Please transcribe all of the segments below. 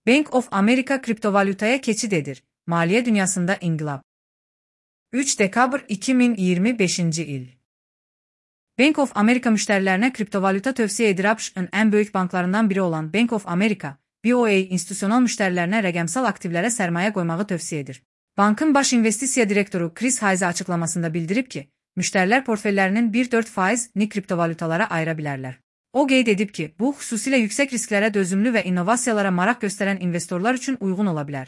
Bank of America kriptovalutaya keçid edir. Maliyyə dünyasında inqilab. 3 dekabr 2025 il. Bank of America müştərilərinə kriptovaluta tövsiyə edir. ABŞ-ın ən böyük banklarından biri olan Bank of America, BOA institusional müştərilərinə rəqəmsal aktivlərə sərmayə qoymağı tövsiyə edir. Bankın baş investisiya direktoru Chris Hayes açıqlamasında bildirib ki, müştərilər portfellərinin 1-4%ni kriptovalutalara ayıra bilərlər. O qeyd edib ki, bu xüsusilə yüksək risklərə dözümlü və innovasiyalara maraq göstərən investorlar üçün uyğun ola bilər.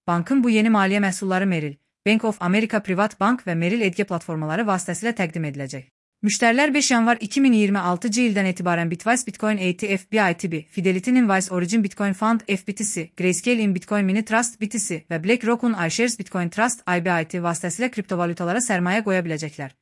Bankın bu yeni maliyyə məhsulları Merrill, Bank of America Privat Bank və Merrill Edge platformaları vasitəsilə təqdim ediləcək. Müştərilər 5 yanvar 2026 ildən etibarən Bitwise Bitcoin ETF BITB, Fidelity Invoice Origin Bitcoin Fund FBTC, Grayscale in Bitcoin Mini Trust BTC və BlackRock'un iShares Bitcoin Trust IBIT vasitəsilə kriptovalutalara sərmayə qoya biləcəklər.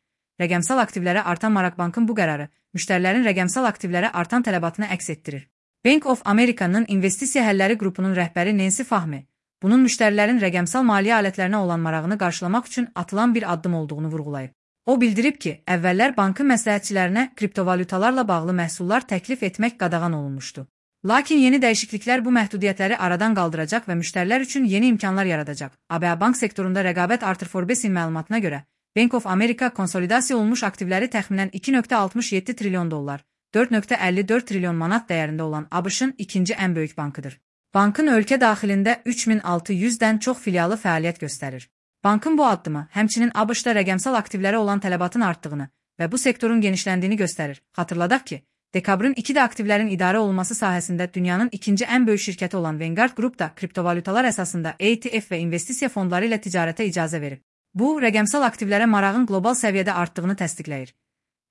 Rəqəmsal aktivlərə artan maraq bankın bu qərarı, müştərilərin rəqəmsal aktivlərə artan tələbatını əks etdirir. Bank of America'nın investisiya həlləri qrupunun rəhbəri Nancy Fahmy, bunun müştərilərin rəqəmsal maliyyə alətlərinə olan marağını qarşılamaq üçün atılan bir addım olduğunu vurğulayıb. O bildirib ki, əvvəllər bankın məsləhətçilərinə kriptovalutalarla bağlı məhsullar təklif etmək qadağan olunmuşdu. Lakin yeni dəyişikliklər bu məhdudiyyətləri aradan qaldıracaq və müştərilər üçün yeni imkanlar yaradacaq. ABA bank sektorunda rəqabət artır. Forbes-in məlumatına görə, Bank of America konsolidasiya olunmuş aktivləri təxminən $2.67 trilyon, 4.54 trilyon manat dəyərində olan ABŞ-ın ikinci ən böyük bankıdır. Bankın ölkə daxilində 3600-dən çox filialı fəaliyyət göstərir. Bankın bu addımı həmçinin ABŞ-da rəqəmsal aktivlərə olan tələbatın artdığını və bu sektorun genişləndiyini göstərir. Xatırladaq ki, dekabrın 2-də aktivlərin idarə olunması sahəsində dünyanın ikinci ən böyük şirkəti olan Vanguard Group da kriptovalutalar əsasında ETF və investisiya fondları ilə ticarətə icazə verib. Bu, rəqəmsal aktivlərə marağın qlobal səviyyədə artdığını təsdiqləyir.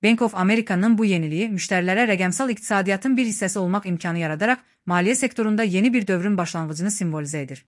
Bank of America'nın bu yeniliyi müştərilərə rəqəmsal iqtisadiyyatın bir hissəsi olmaq imkanı yaradaraq maliyyə sektorunda yeni bir dövrün başlanğıcını simvolizə edir.